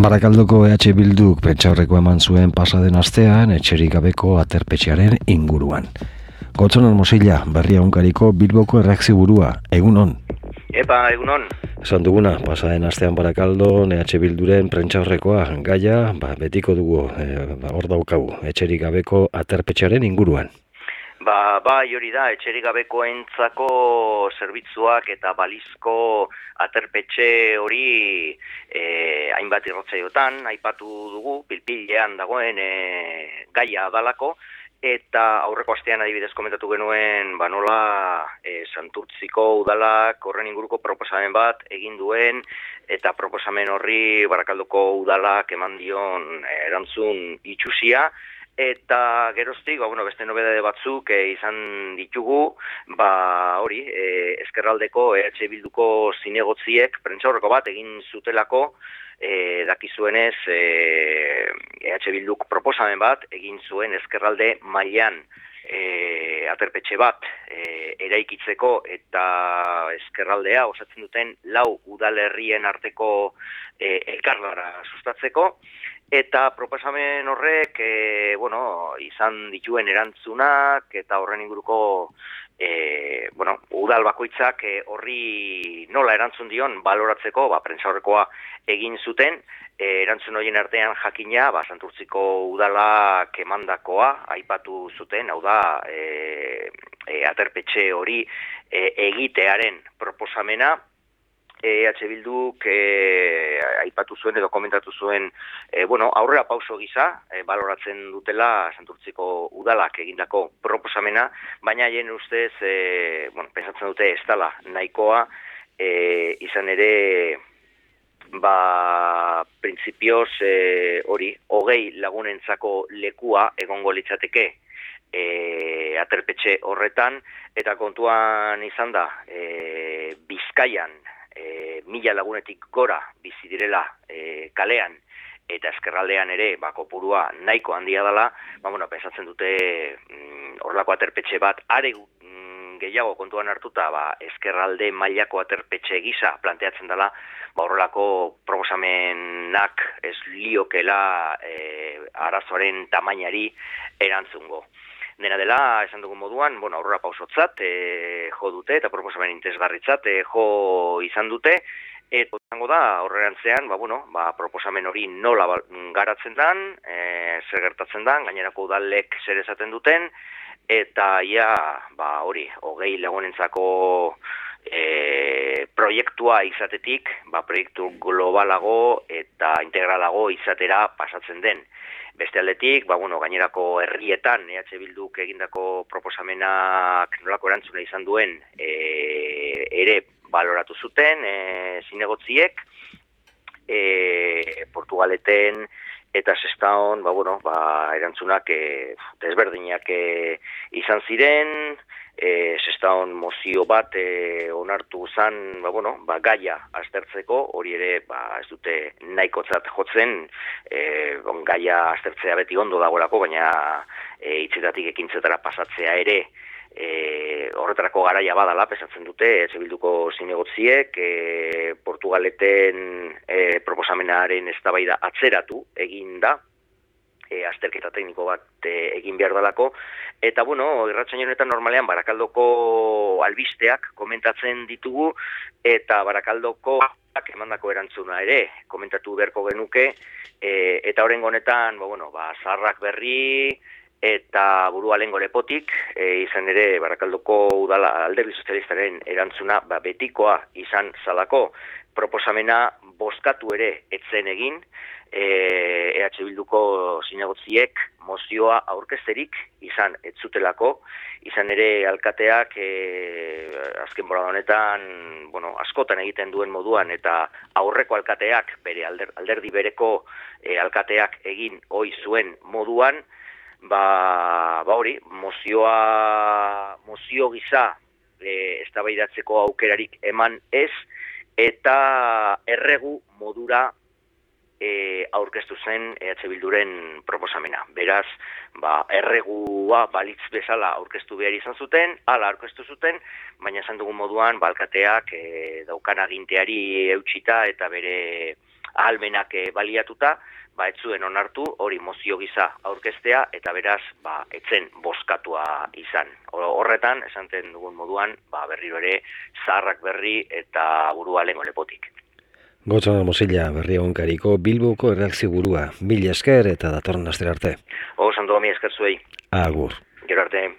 Barakaldoko EH Bilduk pentsaurreko eman zuen pasaden astean etxerik gabeko aterpetxearen inguruan. Gotzonon Mosilla, Berria Egunkariko Bilboko erreakzioburua, egunon. Egunon. Esan duguna, pasaden astean Barakaldon EH Bilduren pentsaurrekoa gaia, betiko dugu, hor daukagu, etxerik gabeko aterpetxearen inguruan. Bai hori da, etxerik gabekoentzako zerbitzuak eta balizko aterpetxe hori hainbat irratsaiotan aipatu dugu, pilpilean dagoen gaia dalako, eta aurreko astean adibidez komentatu genuen nola Santurtziko udalak horren inguruko proposamen bat egin duen, eta proposamen horri Barakaldoko udalak eman dion erantzun itxusia. Eta geroztik, beste nobedade batzuk izan ditugu, hori, ezkerraldeko EH Bilduko zinegotziek prentsaurreko bat egin zutelako, dakizuenez EH Bilduk proposamen bat egin zuen ezkerralde mailan aterpetxe bat eraikitzeko eta ezkerraldea osatzen duten 4 udalerrien arteko elkarlara sustatzeko. Eta proposamen horrek, izan dituen erantzunak eta horren inguruko, udal bakoitzak horri nola erantzun dion baloratzeko, prentsaurrekoa egin zuten, erantzun horien artean jakina, Santurtziko udalak emandakoa aipatu zuten, hau da, aterpetxe hori egitearen proposamena. EH Bilduk aipatu zuen edo komentatu zuen aurrera pauso gisa baloratzen dutela Santurtziko udalak egindako proposamena, baina haien ustez pentsatzen dute ez dela nahikoa, izan ere printzipioz hori 20 lagunentzako lekua egongo litzateke aterpetxe horretan, eta kontuan izan da Bizkaian 1000 lagunetik gora bizi direla kalean, eta ezkerraldean ere kopurua nahiko handia dela, pentsatzen dute horrelako aterpetxe bat are gehiago kontuan hartuta ezkerralde mailako aterpetxe gisa planteatzen dela, horrelako proposamenak ez liokela arazoaren tamainari erantzungo. Dena dela, esan dugun moduan, aurrera pausotzat jo dute eta proposamen interesgarritzat jo izan dute, eta izango da horrerantzean, proposamen hori nola garatzen den, zer gertatzen den, gainerako udalek zer esaten duten, eta hori, 20 lagunentzako proiektua izatetik, proiektu globalago eta integralago izatera pasatzen den. Beste aldetik, gainerako herrietan EH Bilduk egindako proposamenak nolako erantzuna izan duen ere baloratu zuten zinegotziek, Portugaleten eta Sestaon erantzunak desberdinak izan ziren. Sestaon mozio bat onartu zen gaia aztertzeko, hori ere ez dute nahikotzat jotzen, gaia aztertzea beti ondo dagoelako, baina hitzetatik ekintzetara pasatzea ere horretarako garaia badala, pesatzen dute EH Bilduko zinegotziek, Portugaleten proposamenaren eztabaida atzeratu egin da, azterketa tekniko bat egin behar dalako, eta irratsaio honetan normalean Barakaldoko albisteak komentatzen ditugu, eta Barakaldoko emandako erantzuna ere komentatu beharko genuke, eta horrengo honetan zaharrak berri eta burua lengo lepotik, izan ere Barakaldoko udala Alderdi Sozialistaren erantzuna betikoa izan zalako, proposamena bozkatu ere etzen egin, EH Bilduko zinegotziek mozioa aurkezterik izan ez zutelako, izan ere alkateak azken bolada honetan askotan egiten duen moduan, eta aurreko alkateak bere alderdi bereko alkateak egin ohi zuen moduan, hori mozio gisa eztabaidatzeko aukerarik eman ez, eta erregu modura aurkeztu zen EH Bilduren proposamena. Beraz, erregua balitz bezala aurkeztu behar izan zuten, hala aurkeztu zuten, baina esan dugun moduan, alkateak daukan aginteari eutxita eta bere ahalmenak baliatuta, ez zuen onartu hori mozio gisa aurkeztea eta beraz etzen bozkatua izan. Horretan, esanten dugun moduan, berriro ere zaharrak berri eta burua lengo lepotik. Gotzonan Mosilla, berri egunkariko Bilboko erreakzio burua. Mila esker eta datorren astera arte. Santo, mi esker zuei. Agur. Gero arte.